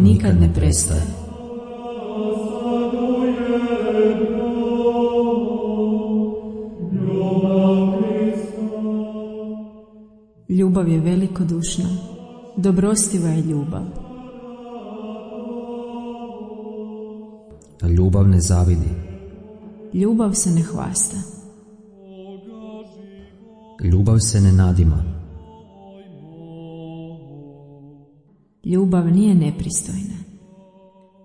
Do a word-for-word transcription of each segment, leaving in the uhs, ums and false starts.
nikad ne prestaje. Ljubav je velikodušna, dobrostiva je ljubav. Ljubav ne zavidi. Ljubav se ne hvasta. Ljubav se ne nadima. Ljubav nije nepristojna.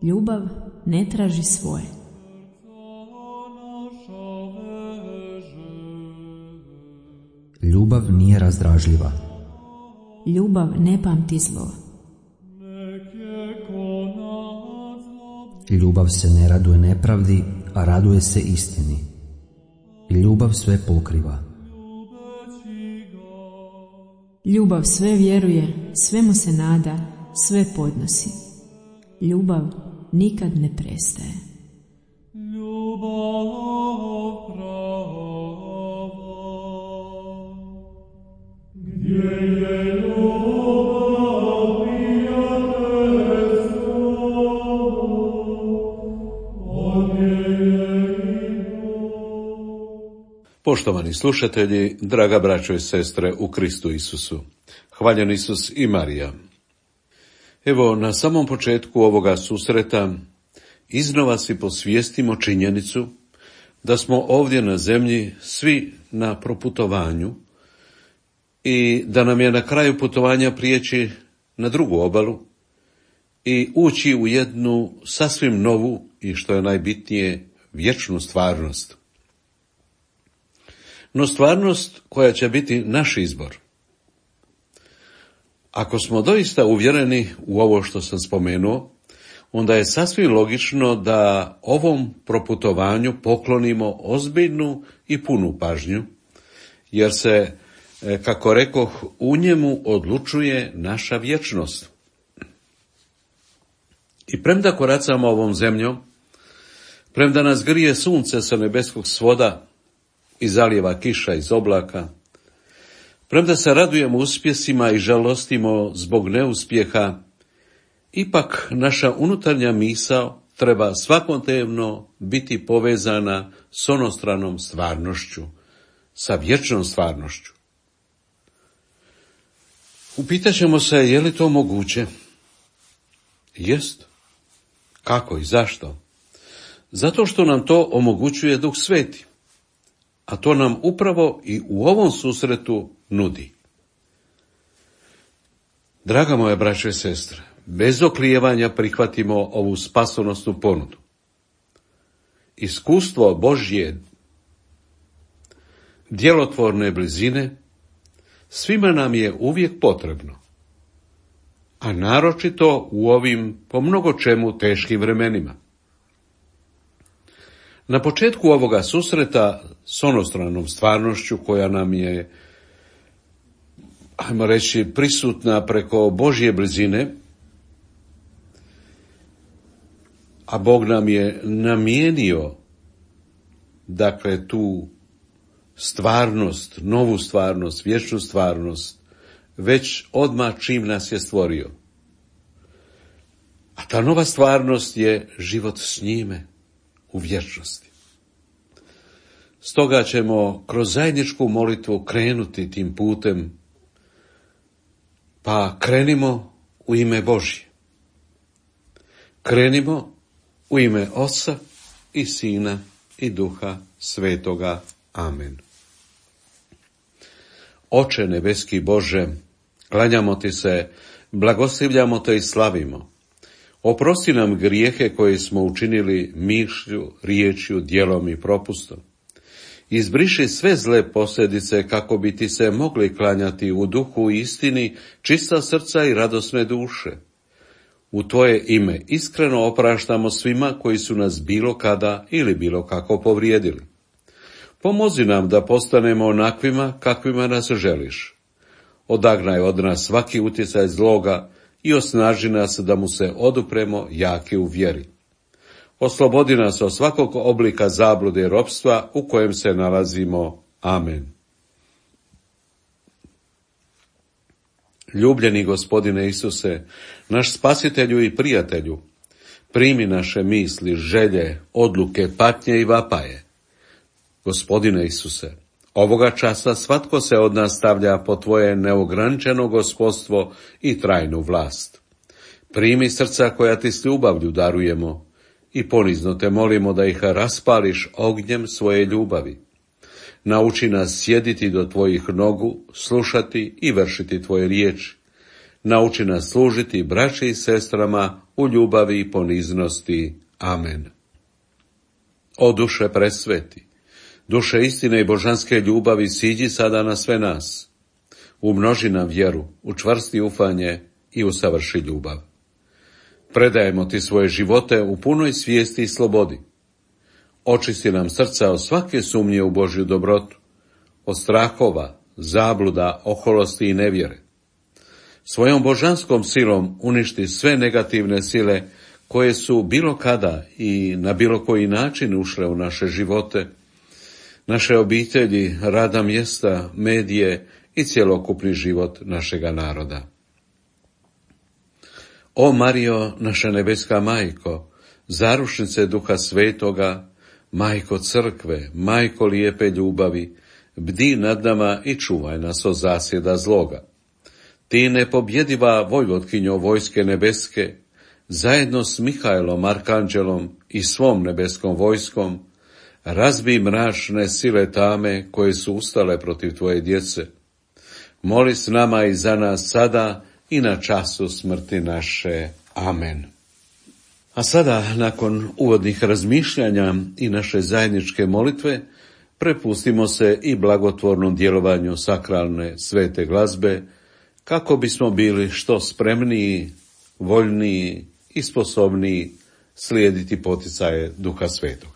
Ljubav ne traži svoje. Ljubav nije razdražljiva. Ljubav ne pamti zlo. Ljubav se ne raduje nepravdi, a raduje se istini. Ljubav sve pokriva. Ljubav sve vjeruje, svemu se nada, sve podnosi. Ljubav nikad ne prestaje. Poštovani slušatelji, draga braćo i sestre u Kristu Isusu, hvaljen Isus i Marija. Evo, na samom početku ovoga susreta iznova si posvijestimo činjenicu da smo ovdje na zemlji svi na proputovanju i da nam je na kraju putovanja prijeći na drugu obalu i ući u jednu sasvim novu i, što je najbitnije, vječnu stvarnost. No stvarnost koja će biti naš izbor. Ako smo doista uvjereni u ovo što sam spomenuo, onda je sasvim logično da ovom proputovanju poklonimo ozbiljnu i punu pažnju, jer se, kako rekoh, u njemu odlučuje naša vječnost. I premda koracamo ovom zemljom, premda nas grije sunce sa nebeskog svoda i zalijeva kiša iz oblaka, premda se radujemo uspjesima i žalostimo zbog neuspjeha, ipak naša unutarnja misao treba svakodnevno biti povezana s onostranom stvarnošću, sa vječnom stvarnošću. Upitat ćemo se, je li to moguće? Jest. Kako i zašto? Zato što nam to omogućuje Duh Sveti, a to nam upravo i u ovom susretu nudi. Draga moja braćo i sestre, bez oklijevanja prihvatimo ovu spasonosnu ponudu. Iskustvo Božje djelotvorne blizine svima nam je uvijek potrebno, a naročito u ovim po mnogo čemu teškim vremenima. Na početku ovoga susreta s onostranom stvarnošću koja nam je, ajmo reći, prisutna preko Božje blizine, a Bog nam je namijenio, dakle, tu stvarnost, novu stvarnost, vječnu stvarnost, već odmah čim nas je stvorio. A ta nova stvarnost je život s njime u vječnosti. Stoga ćemo kroz zajedničku molitvu krenuti tim putem, pa krenimo u ime Božje. Krenimo u ime Oca i Sina i Duha Svetoga. Amen. Oče nebeski Bože, klanjamo ti se, blagoslivljamo te i slavimo. Oprosti nam grijehe koje smo učinili mišlju, riječju, djelom i propustom. Izbriši sve zle posljedice kako bi ti se mogli klanjati u duhu i istini, čista srca i radosne duše. U tvoje ime iskreno opraštamo svima koji su nas bilo kada ili bilo kako povrijedili. Pomozi nam da postanemo onakvima kakvima nas želiš. Odagnaj od nas svaki utjecaj zloga i osnaži nas da mu se odupremo jaki u vjeri. Oslobodi nas od svakog oblika zablude i ropstva u kojem se nalazimo. Amen. Ljubljeni Gospodine Isuse, naš spasitelju i prijatelju, primi naše misli, želje, odluke, patnje i vapaje. Gospodine Isuse, ovoga časa svatko se od nas stavlja po tvoje neograničeno gospodstvo i trajnu vlast. Primi srca koja ti s ljubavlju darujemo i ponizno te molimo da ih raspališ ognjem svoje ljubavi. Nauči nas sjediti do tvojih nogu, slušati i vršiti tvoje riječi. Nauči nas služiti braći i sestrama u ljubavi i poniznosti. Amen. O duše presveti, duše istine i božanske ljubavi, siđi sada na sve nas. Umnoži nam vjeru, učvrsti ufanje i usavrši ljubav. Predajemo ti svoje živote u punoj svijesti i slobodi. Očisti nam srca od svake sumnje u Božju dobrotu, od strahova, zabluda, oholosti i nevjere. Svojom božanskom silom uništi sve negativne sile koje su bilo kada i na bilo koji način ušle u naše živote, naše obitelji, radna mjesta, medije i cjelokupni život našega naroda. O Marijo, naša nebeska majko, zarušnice Duha Svetoga, majko crkve, majko lijepe ljubavi, bdi nad nama i čuvaj nas od zasjeda zloga. Ti nepobjediva vojvotkinjo vojske nebeske, zajedno s Mihajlom, arkanđelom i svom nebeskom vojskom, razbij mračne sile tame koje su ustale protiv tvoje djece. Moli s nama i za nas sada i na času smrti naše. Amen. A sada, nakon uvodnih razmišljanja i naše zajedničke molitve, prepustimo se i blagotvornom djelovanju sakralne svete glazbe, kako bismo bili što spremniji, voljniji i sposobniji slijediti poticaje Duha Svetoga.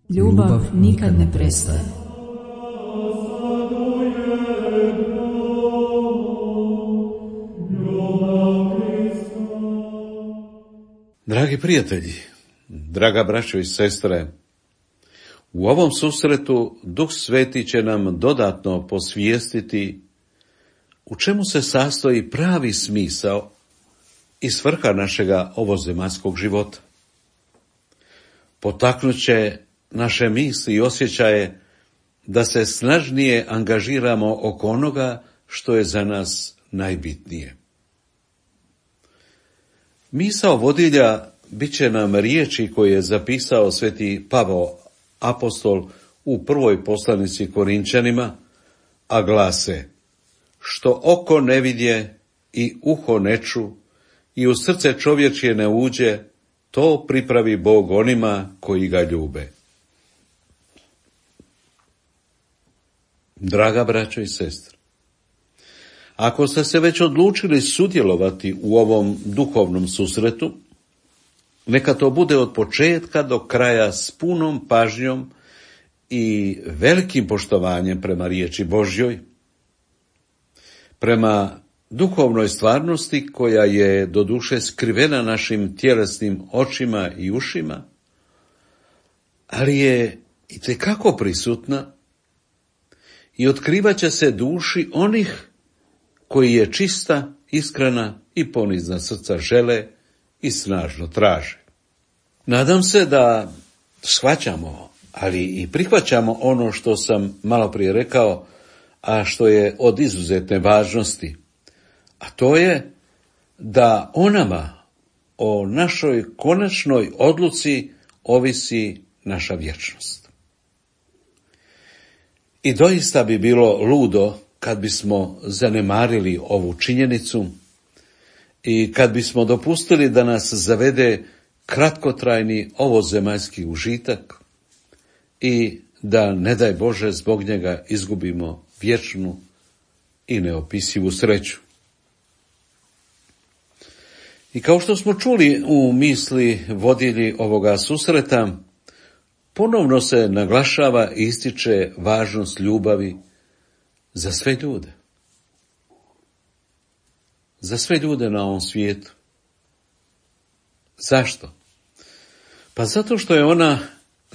Ljubav nikad ne prestaje. Dragi prijatelji, draga braćo i sestre, u ovom susretu Duh Sveti će nam dodatno posvijestiti u čemu se sastoji pravi smisao i svrha našega ovozemaljskog života. Potaknut će naše misli i osjećaje da se snažnije angažiramo oko onoga što je za nas najbitnije. Misao vodilja bit će nam riječi koje je zapisao sveti Pavao apostol u prvoj poslanici Korinčanima, a glase: što oko ne vidje i uho ne ču i u srce čovječje ne uđe, to pripravi Bog onima koji ga ljube. Draga braćo i sestre, ako ste se već odlučili sudjelovati u ovom duhovnom susretu, neka to bude od početka do kraja s punom pažnjom i velikim poštovanjem prema riječi Božjoj, prema duhovnoj stvarnosti koja je doduše skrivena našim tjelesnim očima i ušima, ali je itekako prisutna i otkrivat će se duši onih koji je čista, iskrena i ponizna srca žele i snažno traže. Nadam se da shvaćamo, ali i prihvaćamo ono što sam malo prije rekao, a što je od izuzetne važnosti, a to je da o nama, o našoj konačnoj odluci ovisi naša vječnost. I doista bi bilo ludo kad bismo zanemarili ovu činjenicu i kad bismo dopustili da nas zavede kratkotrajni ovozemaljski užitak i da, ne daj Bože, zbog njega izgubimo vječnu i neopisivu sreću. I kao što smo čuli u misli vodilji ovoga susreta, ponovno se naglašava i ističe važnost ljubavi za sve ljude. Za sve ljude na ovom svijetu. Zašto? Pa zato što je ona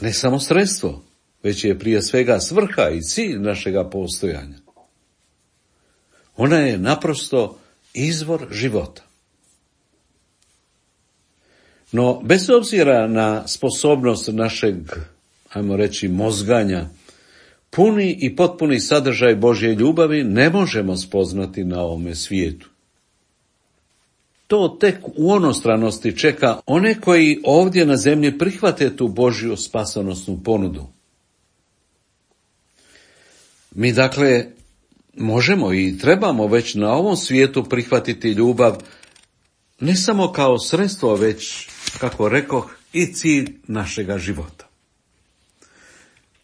ne samo sredstvo, već je prije svega svrha i cilj našega postojanja. Ona je naprosto izvor života. No, bez obzira na sposobnost našeg, ajmo reći, mozganja, puni i potpuni sadržaj Božje ljubavi ne možemo spoznati na ovome svijetu. To tek u onostranosti čeka one koji ovdje na zemlji prihvate tu Božju spasonosnu ponudu. Mi dakle možemo i trebamo već na ovom svijetu prihvatiti ljubav ne samo kao sredstvo, već, kako rekoh, i cilj našega života.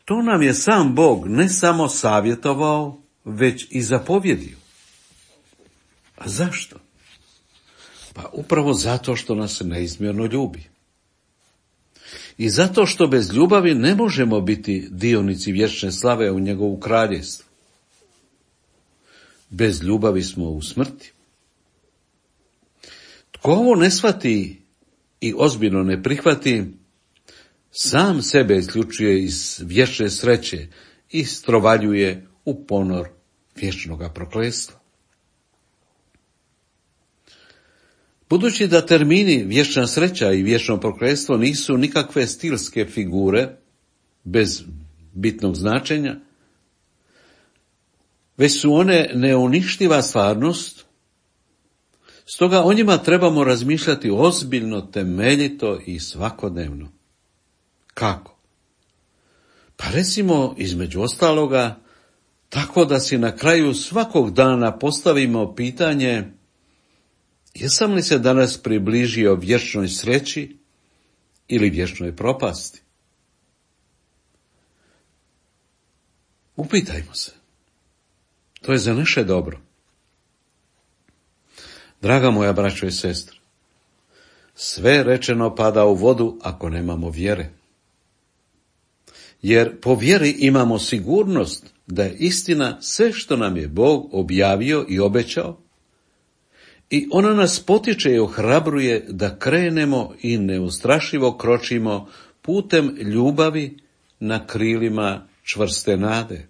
To nam je sam Bog ne samo savjetovao, već i zapovjedio. A zašto? Pa upravo zato što nas neizmjerno ljubi. I zato što bez ljubavi ne možemo biti dionici vječne slave u njegovu kraljevstvu. Bez ljubavi smo u smrti. Tko ovo ne shvati i ozbiljno ne prihvati, sam sebe isključuje iz vječne sreće i strovaljuje u ponor vječnoga prokletstva. Budući da termini vječna sreća i vječno prokletstvo nisu nikakve stilske figure bez bitnog značenja, već su one neuništiva stvarnost, stoga o njima trebamo razmišljati ozbiljno, temeljito i svakodnevno. Kako? Pa recimo, između ostaloga, tako da si na kraju svakog dana postavimo pitanje: jesam li se danas približio vječnoj sreći ili vječnoj propasti? Upitajmo se. To je za naše dobro. Draga moja braćo i sestre, sve rečeno pada u vodu ako nemamo vjere. jer po vjeri imamo sigurnost da je istina sve što nam je Bog objavio i obećao, i ona nas potiče i ohrabruje da krenemo i neustrašivo kročimo putem ljubavi na krilima čvrste nade.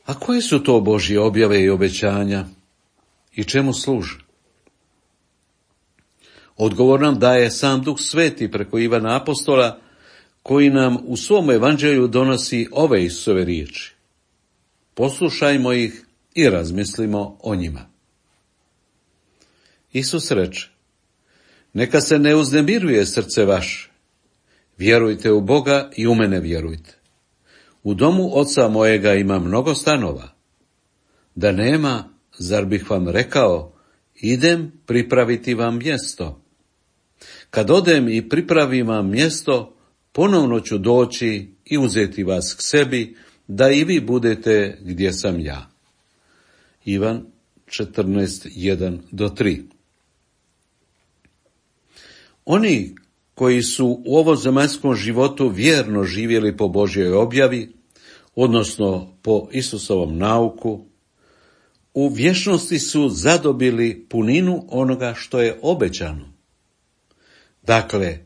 A koje su to Božje objave i obećanja i čemu služe? Odgovor nam daje sam Duh Sveti preko Ivana Apostola, koji nam u svom evanđelju donosi ove Isusove riječi. Poslušajmo ih i razmislimo o njima. Isus reče: neka se ne uznemiruje srce vaše, vjerujte u Boga i u mene vjerujte. U domu oca mojega ima mnogo stanova. Da nema, zar bih vam rekao, idem pripraviti vam mjesto. Kad odem i pripravim vam mjesto, ponovno ću doći i uzeti vas k sebi, da i vi budete gdje sam ja. Ivan četrnaest, jedan do tri. Oni koji su u ovozemaljskom životu vjerno živjeli po Božjoj objavi, odnosno po Isusovom nauku, u vječnosti su zadobili puninu onoga što je obećano. Dakle,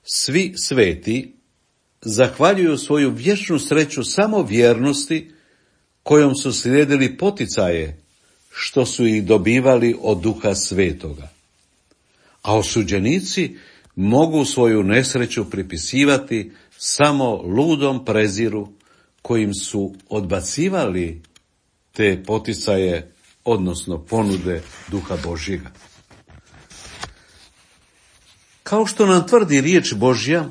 svi sveti zahvaljuju svoju vječnu sreću samo vjernosti kojom su slijedili poticaje što su ih dobivali od Duha Svetoga. A osuđenici mogu svoju nesreću pripisivati samo ludom preziru kojim su odbacivali te poticaje, odnosno ponude Duha Božjega. Kao što nam tvrdi riječ Božja,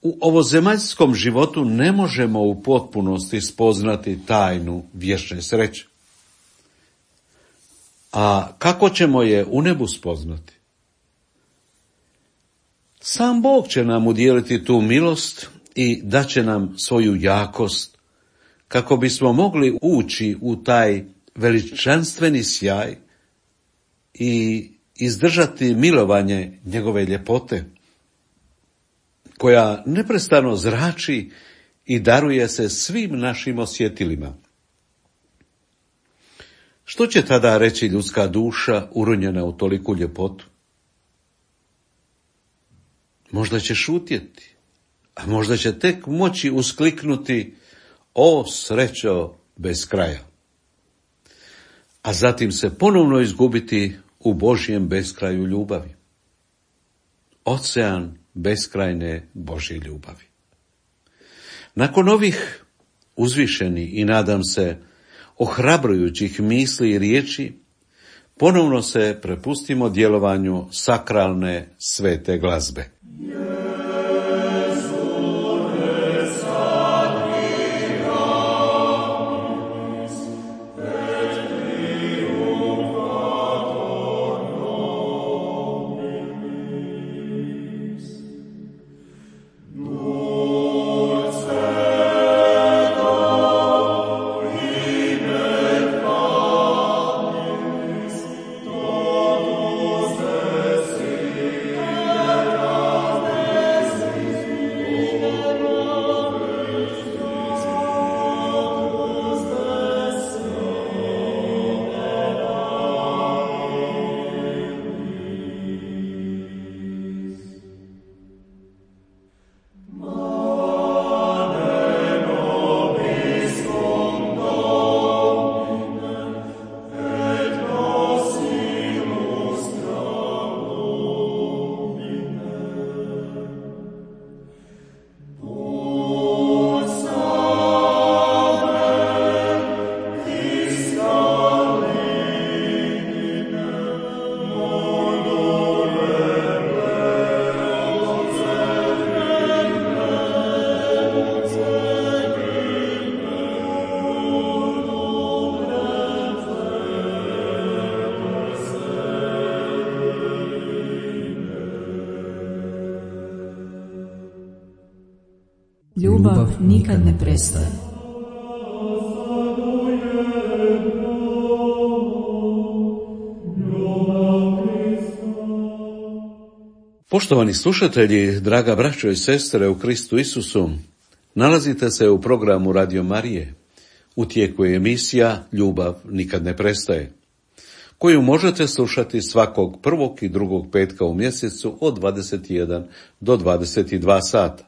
u ovozemaljskom životu ne možemo u potpunosti spoznati tajnu vječne sreće. A kako ćemo je u nebu spoznati? Sam Bog će nam udijeliti tu milost i daće nam svoju jakost, kako bismo mogli ući u taj veličanstveni sjaj i izdržati milovanje njegove ljepote, koja neprestano zrači i daruje se svim našim osjetilima. Što će tada reći ljudska duša uronjena u toliku ljepotu? Možda će šutjeti, a možda će tek moći uskliknuti: o srećo bez kraja. A zatim se ponovno izgubiti u Božjem beskraju ljubavi. Ocean beskrajne Božje ljubavi. Nakon ovih uzvišenih i, nadam se, ohrabrujućih misli i riječi, ponovno se prepustimo djelovanju sakralne svete glazbe. Ljubav nikad ne prestaje. Poštovani slušatelji, draga braćo i sestre u Kristu Isusu, nalazite se u programu Radio Marije. U tijeku je emisija Ljubav nikad ne prestaje, koju možete slušati svakog prvog i drugog petka u mjesecu od dvadeset jedan do dvadeset dva sata.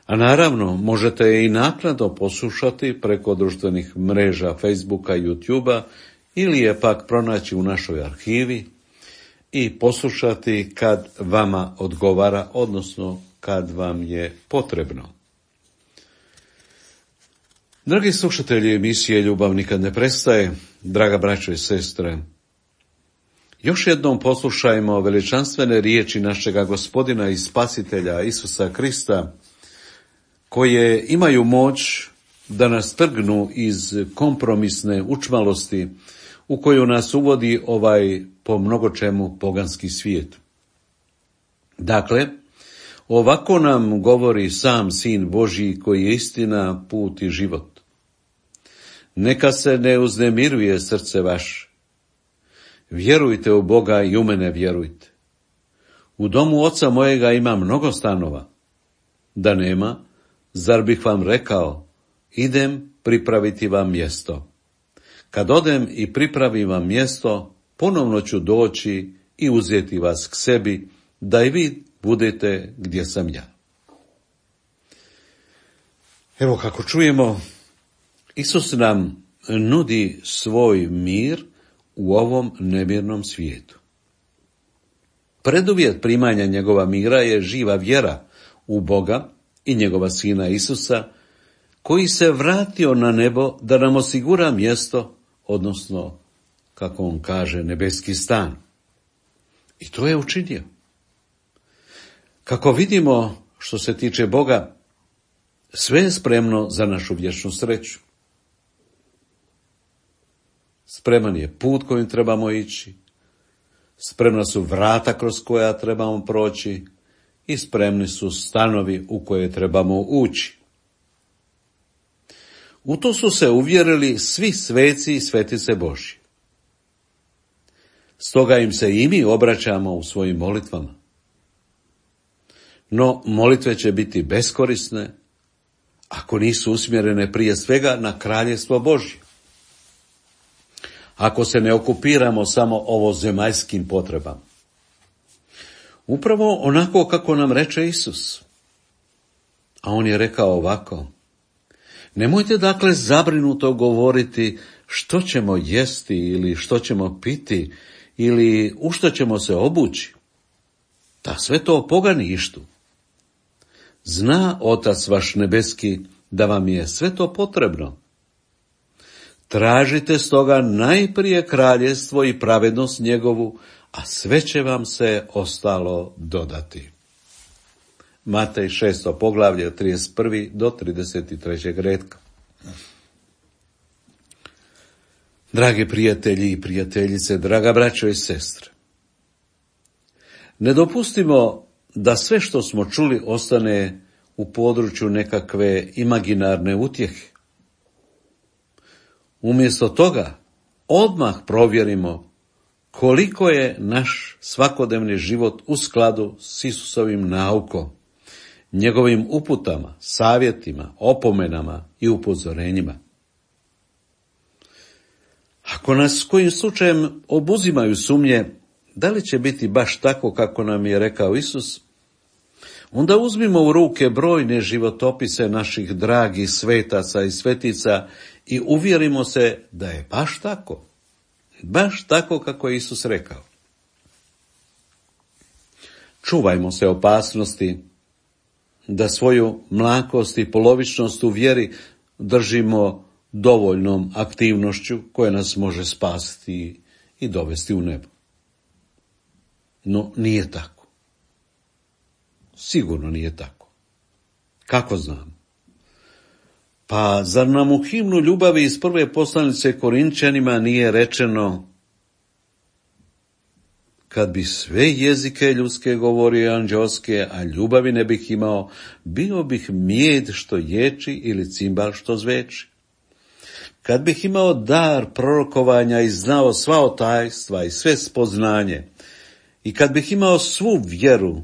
A naravno, možete je i naknadno poslušati preko društvenih mreža Facebooka i YouTubea ili je pak pronaći u našoj arhivi i poslušati kad vama odgovara, odnosno kad vam je potrebno. Dragi slušatelji emisije Ljubav nikad ne prestaje, draga braćo i sestre, još jednom poslušajmo veličanstvene riječi našega Gospodina i Spasitelja Isusa Krista, koje imaju moć da nas trgnu iz kompromisne učmalosti u koju nas uvodi ovaj po mnogo čemu poganski svijet. Dakle, ovako nam govori sam Sin Božji koji je istina, put i život. Neka se ne uznemiruje srce vaše. Vjerujte u Boga i u mene vjerujte. U domu oca mojega ima mnogo stanova. Da nema, zar bih vam rekao, idem pripraviti vam mjesto. Kad odem i pripravim vam mjesto, ponovno ću doći i uzeti vas k sebi, da i vi budete gdje sam ja. Evo kako čujemo, Isus nam nudi svoj mir u ovom nemirnom svijetu. Preduvjet primanja njegova mira je živa vjera u Boga i njegova Sina Isusa, koji se vratio na nebo da nam osigura mjesto, odnosno, kako on kaže, nebeski stan. I to je učinio. Kako vidimo, što se tiče Boga, sve je spremno za našu vječnu sreću. Spreman je put kojim trebamo ići, spremna su vrata kroz koja trebamo proći i spremni su stanovi u koje trebamo ući. U to su se uvjerili svi sveci i svetice Božje. Stoga im se i mi obraćamo u svojim molitvama. No, molitve će biti beskorisne ako nisu usmjerene prije svega na kraljevstvo Božje. Ako se ne okupiramo samo ovozemaljskim potrebama. Upravo onako kako nam reče Isus. A on je rekao ovako: nemojte dakle zabrinuto govoriti što ćemo jesti ili što ćemo piti ili u što ćemo se obući. Da sve to pogani ištu. Zna Otac vaš nebeski da vam je sve to potrebno. Tražite stoga najprije kraljevstvo i pravednost njegovu, a sve će vam se ostalo dodati. Matej šesto poglavlje od trideset prvog do trideset trećeg retka. Dragi prijatelji i prijateljice, draga braćo i sestre, ne dopustimo da sve što smo čuli ostane u području nekakve imaginarne utjehe. Umjesto toga, odmah provjerimo koliko je naš svakodnevni život u skladu s Isusovim naukom, njegovim uputama, savjetima, opomenama i upozorenjima. Ako nas kojim slučajem obuzimaju sumnje, da li će biti baš tako kako nam je rekao Isus, onda uzmimo u ruke brojne životopise naših dragih svetaca i svetica i uvjerimo se da je baš tako. Baš tako kako je Isus rekao. Čuvajmo se opasnosti da svoju mlakost i polovičnost u vjeri držimo dovoljnom aktivnošću koja nas može spasiti i dovesti u nebo. No, nije tako. Sigurno nije tako. Kako znam? Pa zar nam u himnu ljubavi iz prve poslanice Korinčanima nije rečeno: kad bi sve jezike ljudske govorio anđelske, a ljubavi ne bih imao, bio bih mijed što ječi ili cimbal što zveči. Kad bih imao dar prorokovanja i znao sva tajstva i sve spoznanje, I kad bih imao svu vjeru,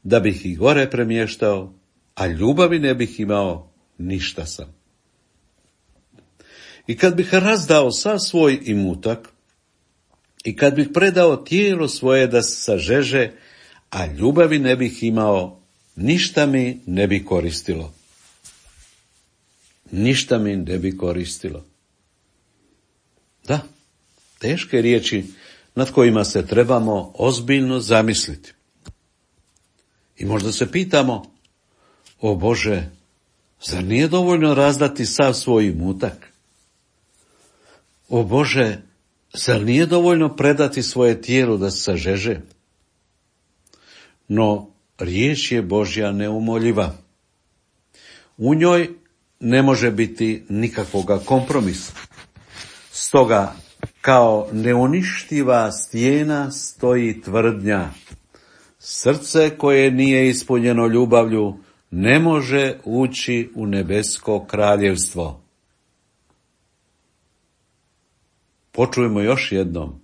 da bih ih gore premještao, a ljubavi ne bih imao, ništa sam. I kad bih razdao sav svoj imutak, i kad bih predao tijelo svoje da se sažeže, a ljubavi ne bih imao, ništa mi ne bi koristilo. Ništa mi ne bi koristilo. Da, teške riječi nad kojima se trebamo ozbiljno zamisliti. I možda se pitamo, o Bože, zar nije dovoljno razdati sav svoj imutak? O Bože, zar nije dovoljno predati svoje tijelo da se sažeže? No, riječ je Božja neumoljiva. U njoj ne može biti nikakvoga kompromisa. Stoga, kao neuništiva stijena stoji tvrdnja. Srce koje nije ispunjeno ljubavlju ne može ući u nebesko kraljevstvo. Počujemo još jednom.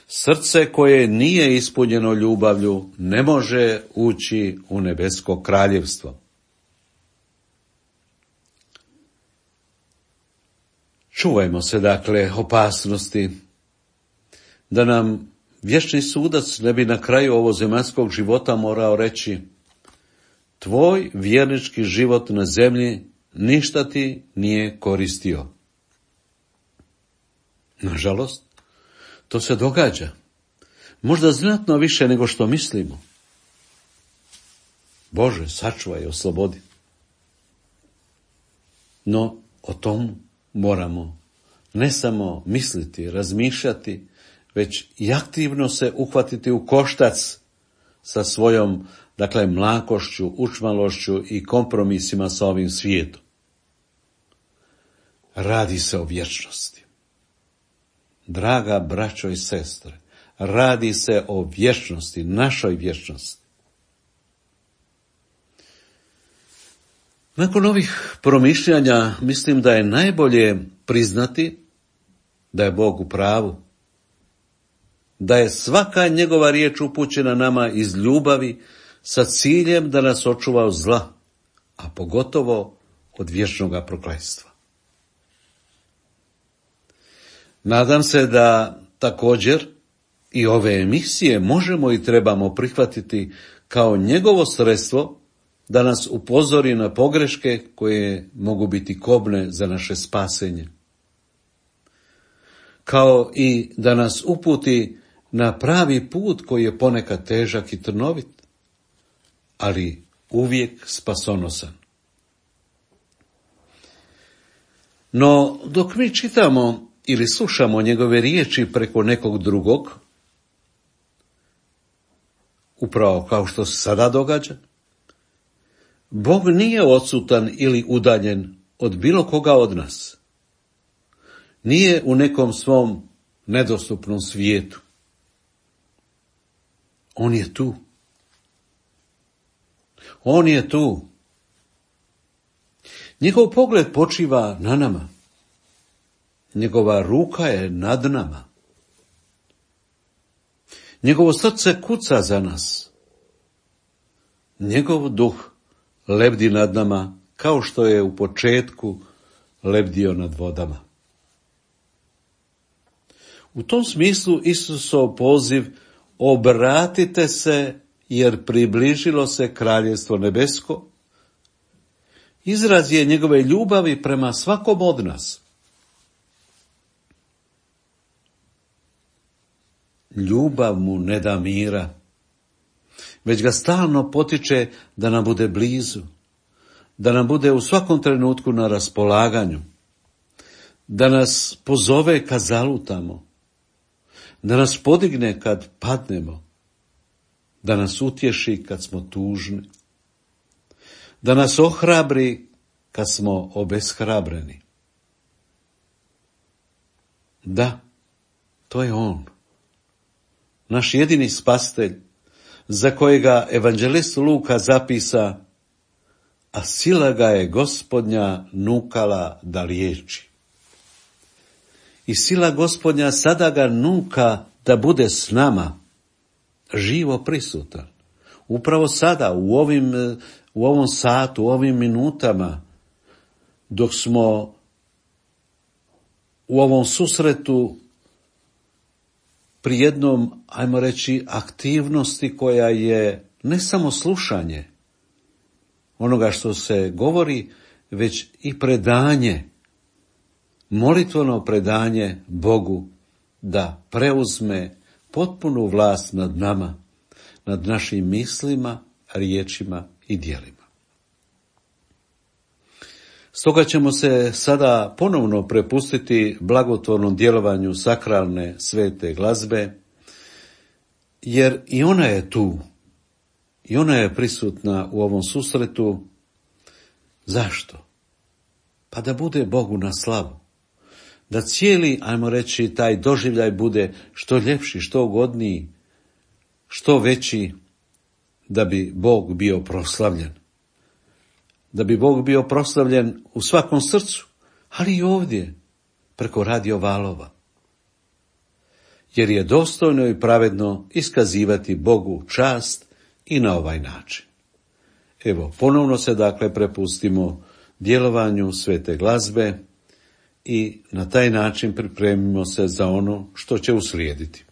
Srce koje nije ispunjeno ljubavlju ne može ući u nebesko kraljevstvo. Čuvajmo se dakle opasnosti da nam vječni sudac ne bi na kraju ovozemaljskog života morao reći: tvoj vjernički život na zemlji ništa ti nije koristio. Nažalost, to se događa. Možda znatno više nego što mislimo. Bože, sačuvaj i oslobodi. No, o tom moramo ne samo misliti, razmišljati, već i aktivno se uhvatiti u koštac sa svojom, dakle, mlakošću, učmalošću i kompromisima sa ovim svijetom. Radi se o vječnosti. Draga braćo i sestre, radi se o vječnosti, našoj vječnosti. Nakon ovih promišljanja mislim da je najbolje priznati da je Bog u pravu, da je svaka njegova riječ upućena nama iz ljubavi sa ciljem da nas očuva od zla, a pogotovo od vječnoga prokletstva. Nadam se da također i ove emisije možemo i trebamo prihvatiti kao njegovo sredstvo da nas upozori na pogreške koje mogu biti kobne za naše spasenje. Kao i da nas uputi na pravi put koji je ponekad težak i trnovit, ali uvijek spasonosan. No, dok mi čitamo ili slušamo njegove riječi preko nekog drugog, upravo kao što se sada događa, Bog nije odsutan ili udaljen od bilo koga od nas. Nije u nekom svom nedostupnom svijetu. On je tu. On je tu. Njegov pogled počiva na nama. Njegova ruka je nad nama. Njegovo srce kuca za nas. Njegov duh lebdi nad nama kao što je u početku lebdio nad vodama. U tom smislu Isusov poziv obratite se jer približilo se kraljevstvo nebesko izraz je njegove ljubavi prema svakom od nas. Ljubav mu ne da mira, već ga stalno potiče da nam bude blizu, da nam bude u svakom trenutku na raspolaganju, da nas pozove kad zalutamo, da nas podigne kad padnemo, da nas utješi kad smo tužni, da nas ohrabri kad smo obeshrabreni. Da, to je on, naš jedini spasitelj, za kojega evanđelist Luka zapisa, a sila ga je Gospodnja nukala da liječi. I sila Gospodnja sada ga nuka da bude s nama, živo prisutan. Upravo sada, u ovim, u ovom satu, u ovim minutama, dok smo u ovom susretu pri jednom, ajmo reći, aktivnosti koja je ne samo slušanje onoga što se govori, već i predanje, molitveno predanje Bogu da preuzme potpunu vlast nad nama, nad našim mislima, riječima i djelima. Stoga ćemo se sada ponovno prepustiti blagotvornom djelovanju sakralne svete glazbe, jer i ona je tu, i ona je prisutna u ovom susretu. Zašto? Pa da bude Bogu na slavu. Da cijeli, ajmo reći, taj doživljaj bude što ljepši, što ugodniji, što veći, da bi Bog bio proslavljen. Da bi Bog bio proslavljen u svakom srcu, ali i ovdje, preko radio valova. Jer je dostojno i pravedno iskazivati Bogu čast i na ovaj način. Evo, ponovno se dakle prepustimo djelovanju svete glazbe i na taj način pripremimo se za ono što će uslijediti.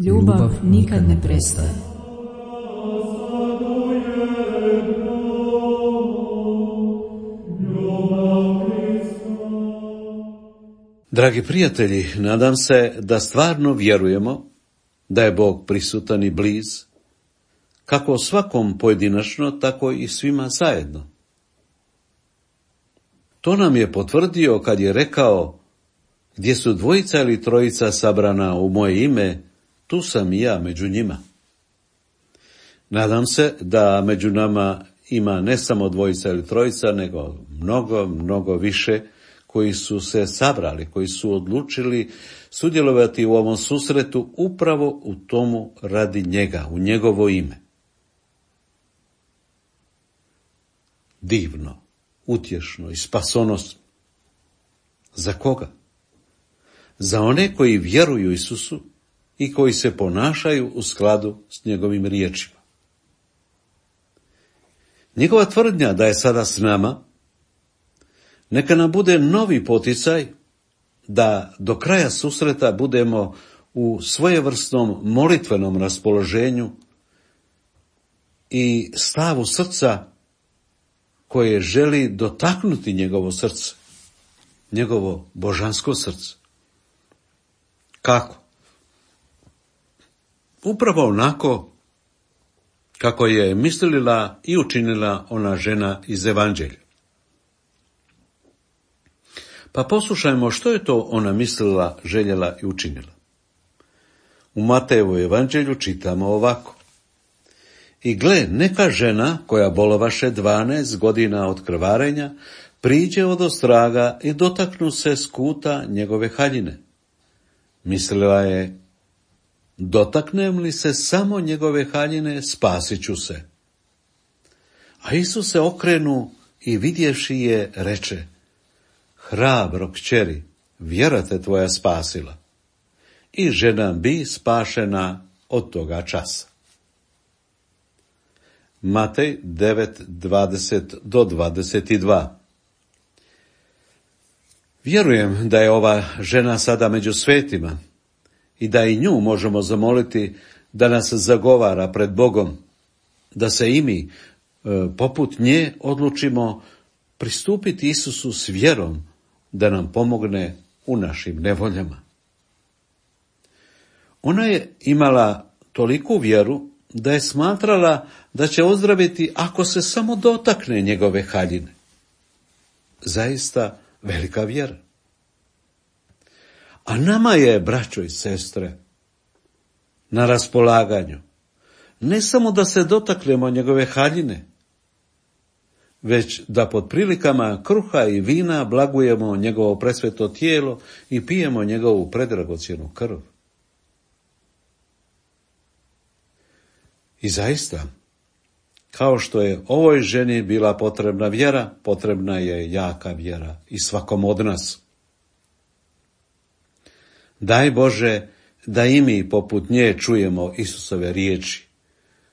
Ljubav nikad ne prestaje. Dragi prijatelji, nadam se da stvarno vjerujemo da je Bog prisutan i bliz, kako svakom pojedinačno, tako i svima zajedno. To nam je potvrdio kad je rekao: gdje su dvojica ili trojica sabrana u moje ime, tu sam i ja među njima. Nadam se da među nama ima ne samo dvojica ili trojica, nego mnogo, mnogo više koji su se sabrali, koji su odlučili sudjelovati u ovom susretu upravo u tomu radi njega, u njegovo ime. Divno, utješno i spasonosno. Za koga? Za one koji vjeruju Isusu i koji se ponašaju u skladu s njegovim riječima. Njegova tvrdnja da je sada s nama, neka nam bude novi poticaj da do kraja susreta budemo u svojevrsnom molitvenom raspoloženju i stavu srca koje želi dotaknuti njegovo srce, njegovo božansko srce. Kako? Upravo onako kako je mislila i učinila ona žena iz Evanđelja. Pa poslušajmo što je to ona mislila, željela i učinila. U Matejevu Evanđelju čitamo ovako. I gle, neka žena koja bolovaše dvanaest godina od krvarenja, priđe od ostraga i dotaknu se skuta njegove haljine. Mislila je, dotaknem li se samo njegove haljine, spasit ću se. A Isus se okrenu i vidjevši je, reče, hrabro kćeri, vjera te tvoja spasila. I žena bi spašena od toga časa. Matej devet, dvadeset do dvadeset dva. Vjerujem da je ova žena sada među svetima i da i nju možemo zamoliti da nas zagovara pred Bogom, da se i mi, poput nje, odlučimo pristupiti Isusu s vjerom da nam pomogne u našim nevoljama. Ona je imala toliku vjeru da je smatrala da će ozdraviti ako se samo dotakne njegove haljine. Zaista velika vjera. A nama je, braćo i sestre, na raspolaganju ne samo da se dotaknemo njegove haljine, već da pod prilikama kruha i vina blagujemo njegovo presveto tijelo i pijemo njegovu predragocjenu krv. I zaista, kao što je ovoj ženi bila potrebna vjera, potrebna je jaka vjera i svakom od nas. Daj Bože da i mi poput nje čujemo Isusove riječi.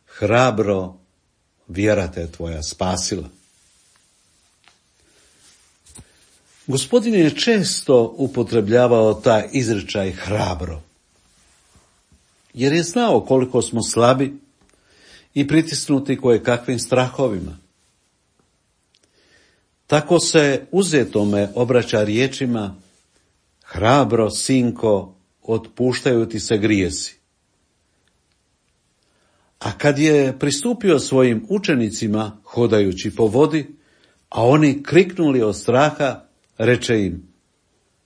Hrabro, vjera te tvoja spasila. Gospodin je često upotrebljavao taj izričaj hrabro, jer je znao koliko smo slabi i pritisnuti koje kakvim strahovima. Tako se uzetome obraća riječima, hrabro, sinko, otpuštaju ti se grijesi. A kad je pristupio svojim učenicima, hodajući po vodi, a oni kriknuli od straha, reče im,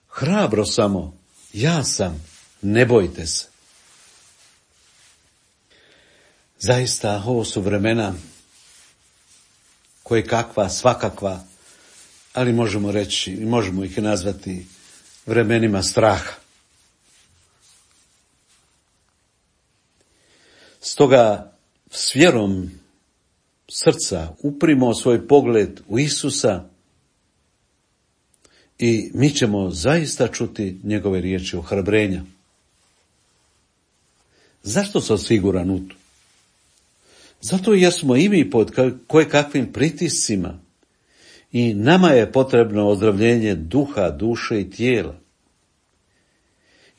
hrabro samo, ja sam, ne bojte se. Zaista, ovo su vremena koje kakva, svakakva, ali možemo reći, možemo ih nazvati vremenima straha. Stoga s vjerom srca uprimo svoj pogled u Isusa i mi ćemo zaista čuti njegove riječi ohrabrenja. Zašto sam siguran u to? Zato jer smo i mi pod koje kakvim pritiscima i nama je potrebno ozdravljenje duha, duše i tijela.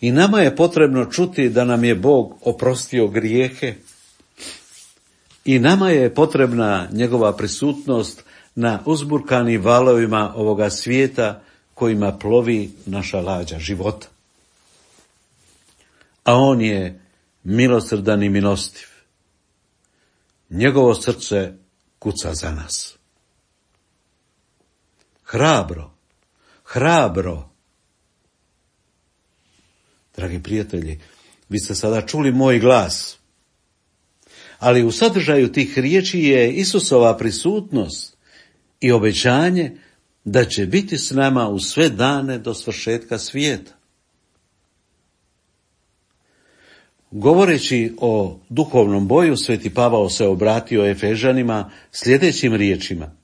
I nama je potrebno čuti da nam je Bog oprostio grijehe i nama je potrebna njegova prisutnost na uzburkanim valovima ovoga svijeta kojima plovi naša lađa života. A on je milosrdan i milostiv. Njegovo srce kuca za nas. Hrabro, hrabro. Dragi prijatelji, vi ste sada čuli moj glas, ali u sadržaju tih riječi je Isusova prisutnost i obećanje da će biti s nama u sve dane do svršetka svijeta. Govoreći o duhovnom boju, Sveti Pavao se obratio Efežanima sljedećim riječima: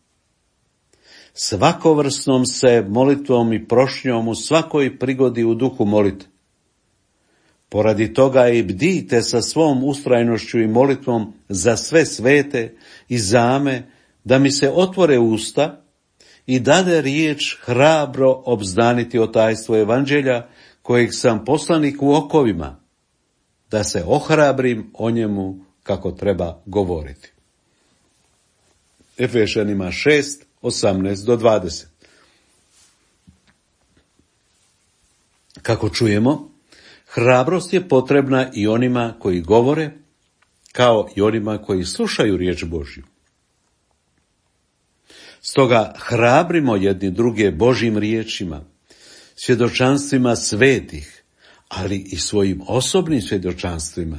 svakovrsnom se molitvom i prošnjom u svakoj prigodi u duhu molite. Poradi toga i bdijte sa svom ustrajnošću i molitvom za sve svete i zame, da mi se otvore usta i dade riječ hrabro obznaniti o tajstvu evanđelja, kojeg sam poslanik u okovima, da se ohrabrim o njemu kako treba govoriti. Efešanima šest, osamnaest do dvadeset. Kako čujemo, hrabrost je potrebna i onima koji govore, kao i onima koji slušaju riječ Božju. Stoga hrabrimo jedni druge Božjim riječima, svjedočanstvima svetih, ali i svojim osobnim svjedočanstvima.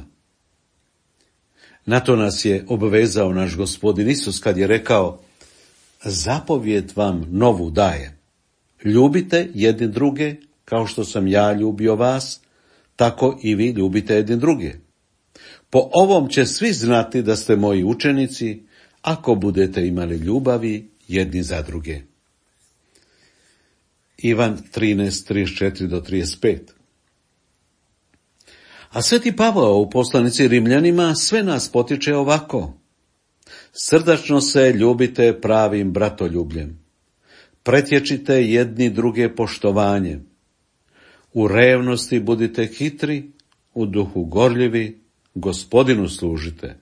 Na to nas je obvezao naš Gospodin Isus kad je rekao: zapovijed vam novu dajem, ljubite jedni druge kao što sam ja ljubio vas, tako i vi ljubite jedni druge. Po ovom će svi znati da ste moji učenici, ako budete imali ljubavi jedni za druge. Ivan trinaest, trideset četiri do trideset pet. A Sveti Pavao u poslanici Rimljanima sve nas potiče ovako: srdačno se ljubite pravim bratoljubljem, pretječite jedni druge poštovanjem, u revnosti budite hitri, u duhu gorljivi, Gospodinu služite,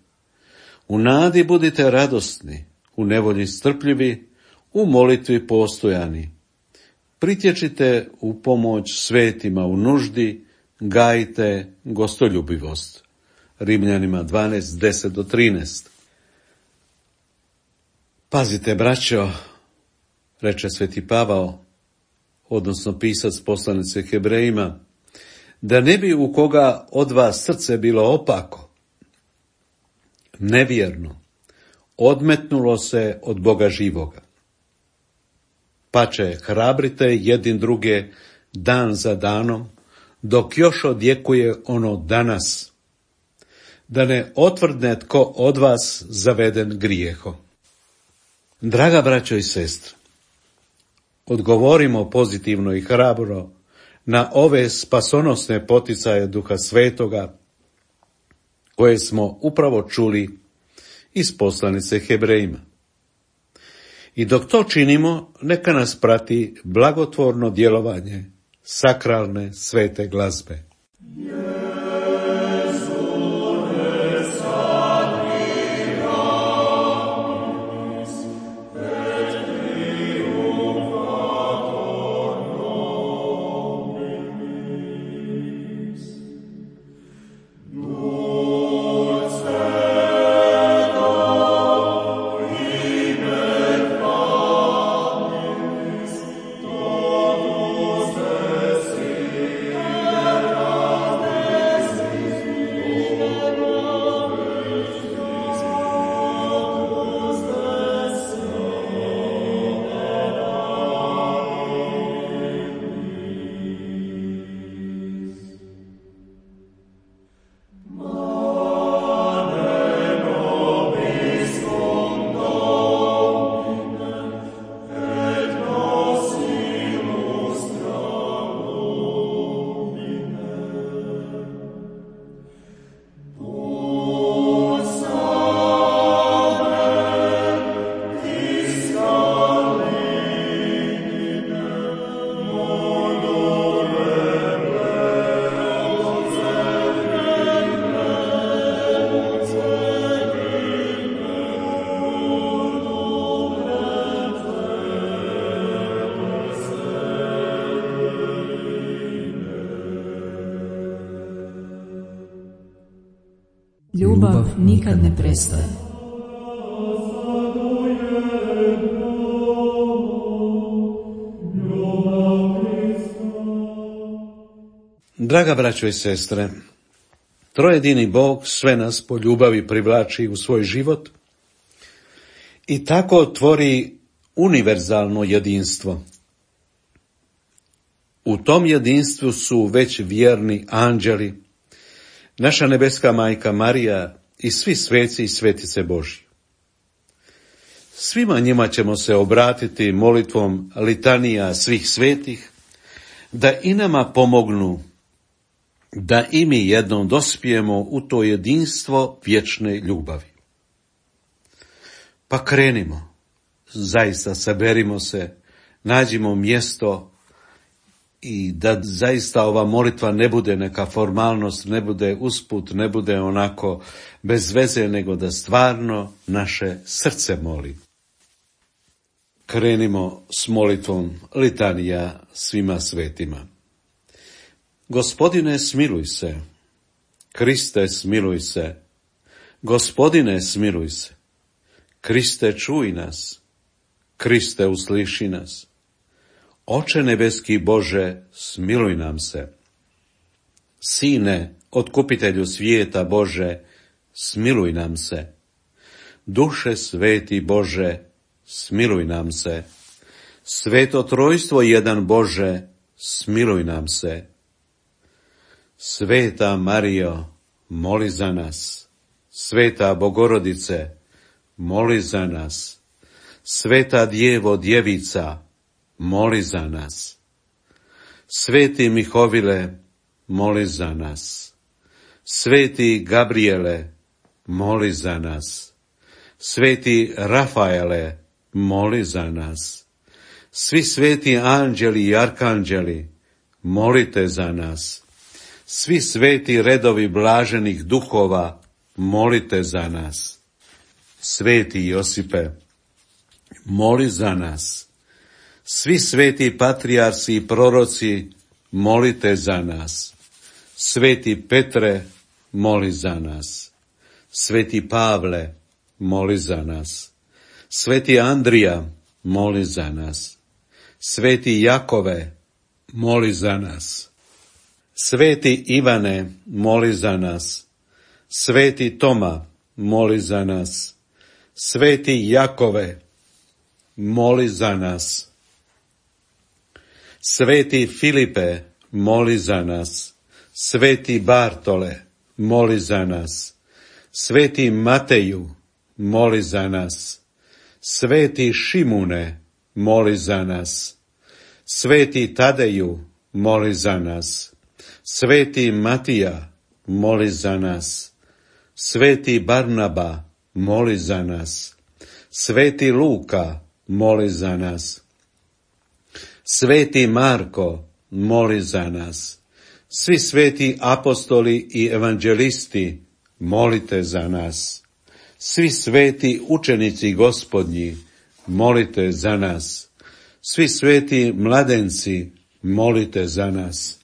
u nadi budite radosni, u nevolji strpljivi, u molitvi postojani, pritječite u pomoć svetima u nuždi, gajite gostoljubivost. Rimljanima dvanaest, deset do trinaest. Pazite, braćo, reče Sveti Pavao, odnosno pisac poslanice Hebrejima, da ne bi u koga od vas srce bilo opako, nevjerno, odmetnulo se od Boga živoga. Pače, hrabrite jedni druge dan za danom, dok još odjekuje ono danas, da ne otvrdne tko od vas zaveden grijehom. Draga braćo i sestre, odgovorimo pozitivno i hrabro na ove spasonosne poticaje Duha Svetoga, koje smo upravo čuli iz poslanice Hebrejima. I dok to činimo, neka nas prati blagotvorno djelovanje sakralne svete glazbe. Ljubav nikad ne prestaje. Draga braćo i sestre, trojedini Bog sve nas po ljubavi privlači u svoj život i tako tvori univerzalno jedinstvo. U tom jedinstvu su već vjerni anđeli, naša nebeska majka Marija i svi sveci i svetice Božji. Svima njima ćemo se obratiti molitvom litanija svih svetih, da i nama pomognu da i mi jednom dospijemo u to jedinstvo vječne ljubavi. Pa krenimo, zaista saberimo se, nađimo mjesto i da zaista ova molitva ne bude neka formalnost, ne bude usput, ne bude onako bez veze, nego da stvarno naše srce moli. Krenimo s molitvom litanija svima svetima. Gospodine, smiluj se. Kriste, smiluj se. Gospodine, smiluj se. Kriste, čuj nas. Kriste, usliši nas. Oče nebeski Bože, smiluj nam se. Sine, otkupitelju svijeta Bože, smiluj nam se. Duše sveti Bože, smiluj nam se. Sveto trojstvo jedan Bože, smiluj nam se. Sveta Marijo, moli za nas. Sveta Bogorodice, moli za nas. Sveta Djevo Djevica, moli za nas. Sveti Mihovile, moli za nas. Sveti Gabriele, moli za nas. Sveti Rafaele, moli za nas. Svi sveti anđeli i arkanđeli, molite za nas. Svi sveti redovi blaženih duhova, molite za nas. Sveti Josipe, moli za nas. Svi sveti patrijarsi i proroci, molite za nas. Sveti Petre, moli za nas. Sveti Pavle, moli za nas. Sveti Andrija, moli za nas. Sveti Jakove, moli za nas. Sveti Ivane, moli za nas. Sveti Toma, moli za nas. Sveti Jakove, moli za nas. Sveti Filipe, moli za nas. Sveti Bartole, moli za nas. Sveti Mateju, moli za nas. Sveti Šimune, moli za nas. Sveti Tadeju, moli za nas. Sveti Matija, moli za nas. Sveti Barnaba, moli za nas. Sveti Luka, moli za nas. Sveti Marko, moli za nas. Svi sveti apostoli i evanđelisti, molite za nas. Svi sveti učenici Gospodnji, molite za nas. Svi sveti mladenci, molite za nas.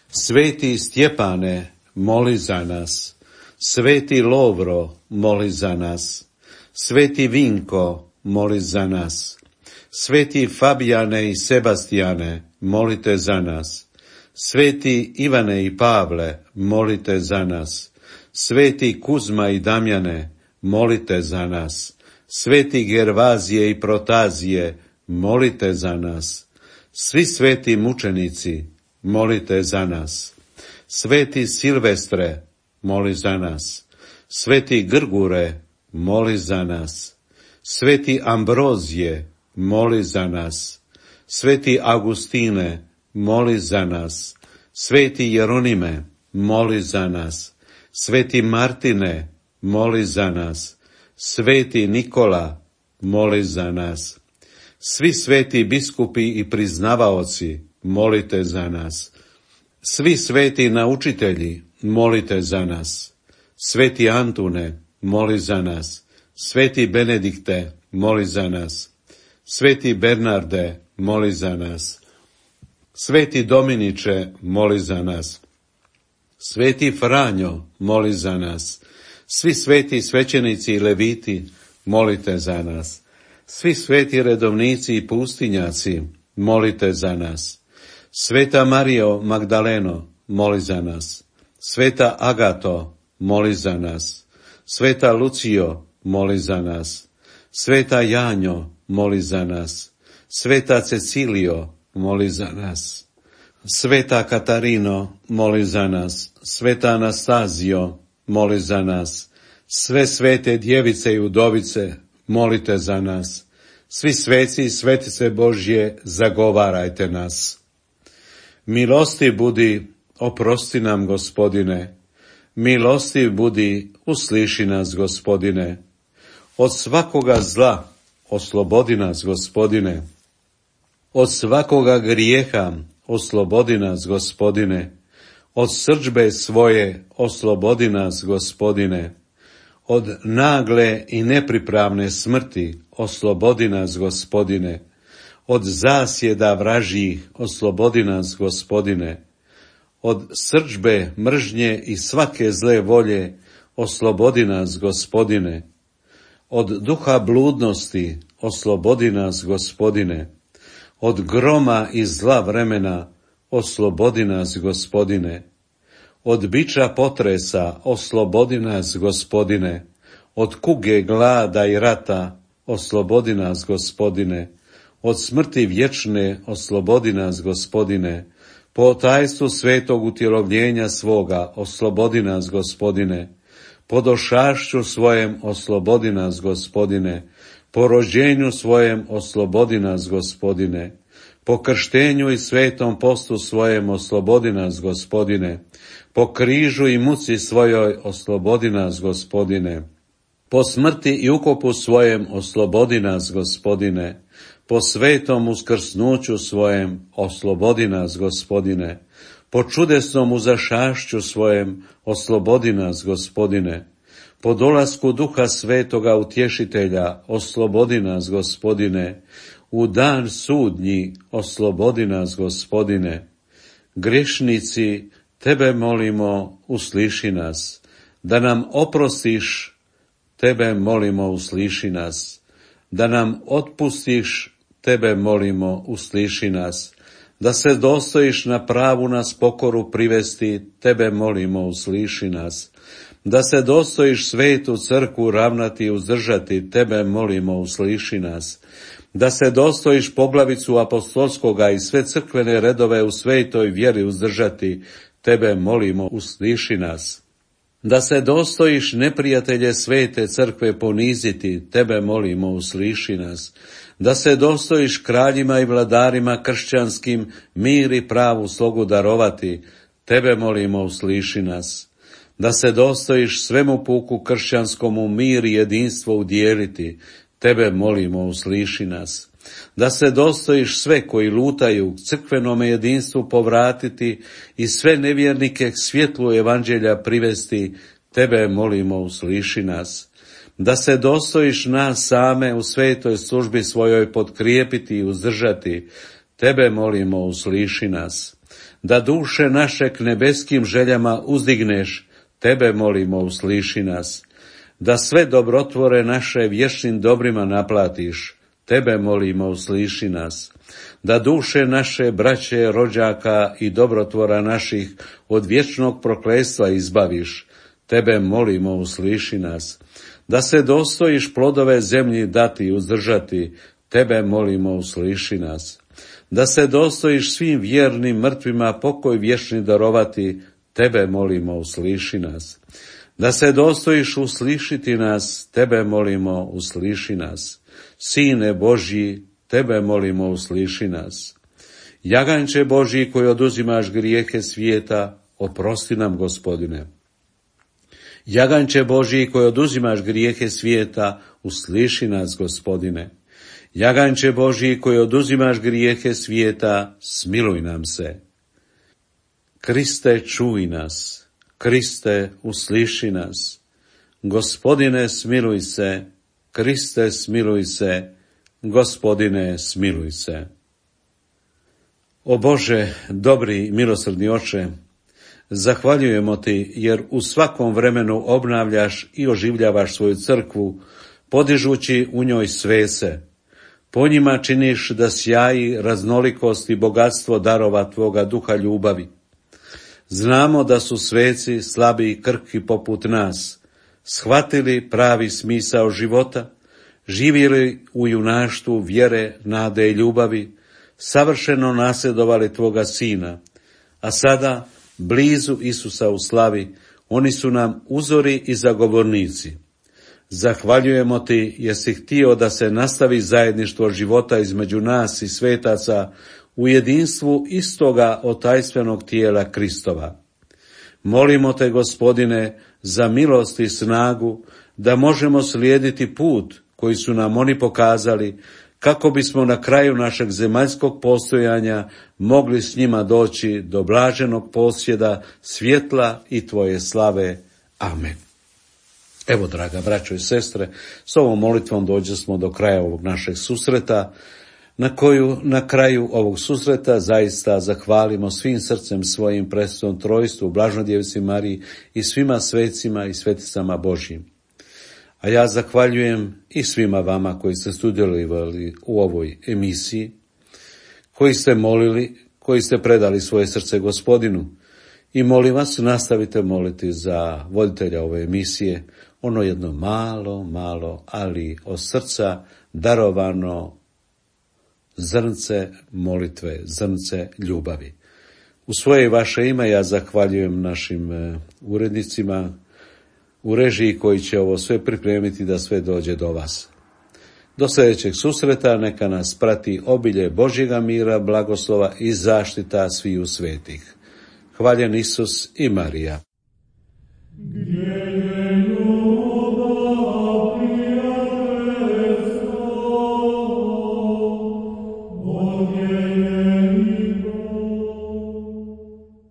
Sveti Stjepane, moli za nas. Sveti Lovro, moli za nas. Sveti Vinko, moli za nas. Sveti Fabijane i Sebastijane, molite za nas. Sveti Ivane i Pavle, molite za nas. Sveti Kuzma i Damjane, molite za nas. Sveti Gervazije i Protazije, molite za nas. Svi sveti mučenici, molite za nas. Sveti Silvestre, moli za nas. Sveti Grgure, moli za nas. Sveti Ambrozije, moli za nas. Sveti Augustine, moli za nas. Sveti Jeronime, moli za nas. Sveti Martine, moli za nas. Sveti Nikola, moli za nas. Svi sveti biskupi i priznavaoci, molite za nas. Svi sveti naučitelji, molite za nas. Sveti Antune, moli za nas. Sveti Benedikte, moli za nas. Sveti Bernarde, moli za nas. Sveti Dominiče, moli za nas. Sveti Franjo, moli za nas. Svi sveti svećenici i leviti, molite za nas. Svi sveti redovnici i pustinjaci, molite za nas. Sveta Marijo Magdaleno, moli za nas. Sveta Agato, moli za nas. Sveta Lucijo, moli za nas. Sveta Janjo, moli za nas. Sveta Cecilio, moli za nas. Sveta Katarino, moli za nas. Sveta Anastazio, moli za nas. Sve svete djevice i udovice, molite za nas. Svi sveci i svetice Božje, zagovarajte nas. Milosti budi, oprosti nam, Gospodine. Milosti budi, usliši nas, Gospodine. Od svakoga zla oslobodi nas, Gospodine. Od svakoga grijeha oslobodi nas, Gospodine. Od srdžbe svoje oslobodi nas, Gospodine. Od nagle i nepripravne smrti oslobodi nas, Gospodine. Od zasjeda vražjih oslobodi nas, Gospodine. Od srdžbe, mržnje i svake zle volje oslobodi nas, Gospodine. Od duha bludnosti oslobodi nas, Gospodine. Od groma i zla vremena oslobodi nas, Gospodine. Od biča potresa oslobodi nas, Gospodine. Od kuge, glada i rata oslobodi nas, Gospodine. Od smrti vječne oslobodi nas, Gospodine. Po tajstvu svetog utjelovljenja svoga oslobodi nas, Gospodine. Po došašću svojem oslobodi nas, Gospodine. Po rođenju svojem oslobodi nas, Gospodine. Po krštenju i svetom postu svojem oslobodi nas, Gospodine. Po križu i muci svojoj oslobodi nas, Gospodine. Po smrti i ukopu svojem oslobodi nas, Gospodine. Po svetom uskrsnuću svojem oslobodi nas, Gospodine. Po čudesnom uzašašću svojem oslobodi nas, Gospodine. Po dolasku Duha Svetoga Utješitelja oslobodi nas, Gospodine. U dan sudnji oslobodi nas, Gospodine. Grešnici, Tebe molimo, usliši nas. Da nam oprostiš, Tebe molimo, usliši nas. Da nam otpustiš, Tebe molimo, usliši nas. Da se dostojiš na pravu nas pokoru privesti, Tebe molimo, usliši nas. Da se dostojiš svetu crkvu ravnati i uzdržati, Tebe molimo, usliši nas. Da se dostojiš poglavicu apostolskoga i sve crkvene redove u svetoj vjeri uzdržati, Tebe molimo, usliši nas. Da se dostojiš neprijatelje svete crkve poniziti, Tebe molimo, usliši nas. Da se dostojiš kraljima i vladarima kršćanskim mir i pravu slogu darovati, Tebe molimo, usliši nas. Da se dostojiš svemu puku kršćanskomu mir i jedinstvo udijeliti, Tebe molimo, usliši nas. Da se dostojiš sve koji lutaju crkvenome jedinstvu povratiti i sve nevjernike k svjetlu evanđelja privesti, Tebe molimo, usliši nas. Da se dostojiš nas same u svetoj službi svojoj potkrijepiti i uzdržati, Tebe molimo, usliši nas. Da duše naše k nebeskim željama uzdigneš, Tebe molimo, usliši nas. Da sve dobrotvore naše vječnim dobrima naplatiš, Tebe molimo, usliši nas. Da duše naše braće, rođaka i dobrotvora naših od vječnog prokletstva izbaviš, Tebe molimo, usliši nas. Da se dostojiš plodove zemlji dati i uzdržati, Tebe molimo, usliši nas. Da se dostojiš svim vjernim mrtvima pokoj vječni darovati, Tebe molimo, usliši nas. Da se dostojiš uslišiti nas, Tebe molimo, usliši nas. Sine Božji, Tebe molimo, usliši nas. Jaganče Božji koji oduzimaš grijehe svijeta, oprosti nam, Gospodine. Jaganče Božji koji oduzimaš grijehe svijeta, usliši nas, Gospodine. Jaganče Božji koji oduzimaš grijehe svijeta, smiluj nam se. Kriste, čuj nas. Kriste, usliši nas. Gospodine, smiluj se. Kriste, smiluj se. Gospodine, smiluj se. O Bože, dobri i milosrdni Oče, zahvaljujemo Ti jer u svakom vremenu obnavljaš i oživljavaš svoju crkvu, podižući u njoj svese. Po njima činiš da sjaji raznolikost i bogatstvo darova Tvoga duha ljubavi. Znamo da su sveci slabi i krhki poput nas, shvatili pravi smisao života, živjeli u junaštvu vjere, nade i ljubavi, savršeno nasljedovali Tvoga Sina, a sada, blizu Isusa u slavi, oni su nam uzori i zagovornici. Zahvaljujemo Ti jer si htio da se nastavi zajedništvo života između nas i svetaca u jedinstvu istoga otajstvenog tijela Kristova. Molimo Te, Gospodine, za milost i snagu da možemo slijediti put koji su nam oni pokazali, kako bismo na kraju našeg zemaljskog postojanja mogli s njima doći do blaženog posjeda svjetla i Tvoje slave. Amen. Evo, draga braćo i sestre, s ovom molitvom dođe smo do kraja ovog našeg susreta, na koju na kraju ovog susreta zaista zahvalimo svim srcem svojim presvetom trojstvu, Blaženoj Djevici Mariji i svima svecima i sveticama Božjim. A ja zahvaljujem i svima vama koji ste sudjelovali u ovoj emisiji, koji ste molili, koji ste predali svoje srce Gospodinu. I molim vas, nastavite moliti za voditelja ove emisije, ono jedno malo, malo, ali od srca darovano zrnce molitve, zrnce ljubavi. U svoje i vaše ime ja zahvaljujem našim urednicima u režiji koji će ovo sve pripremiti da sve dođe do vas. Do sljedećeg susreta neka nas prati obilje Božjega mira, blagoslova i zaštita sviju svetih. Hvaljen Isus i Marija.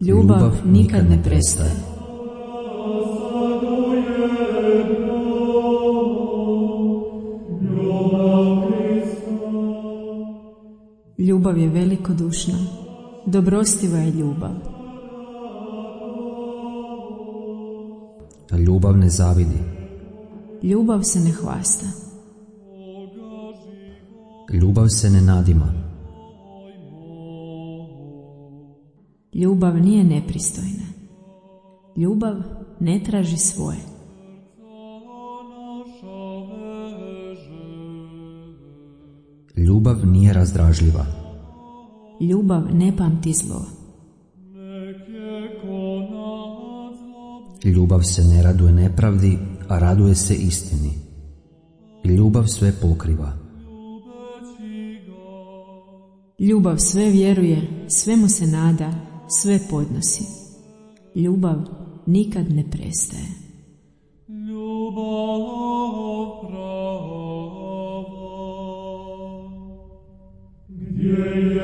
Ljubav nikad ne prestaje. Ljubav je velikodušna, dobrostiva je ljubav. Ljubav ne zavidi. Ljubav se ne hvasta. Ljubav se ne nadima. Ljubav nije nepristojna. Ljubav ne traži svoje. Ljubav nije razdražljiva. Ljubav ne pamti zlo. Ljubav se ne raduje nepravdi, a raduje se istini. Ljubav sve pokriva. Ljubav sve vjeruje, svemu se nada, sve podnosi. Ljubav nikad ne prestaje. Ljubav prava, gdje je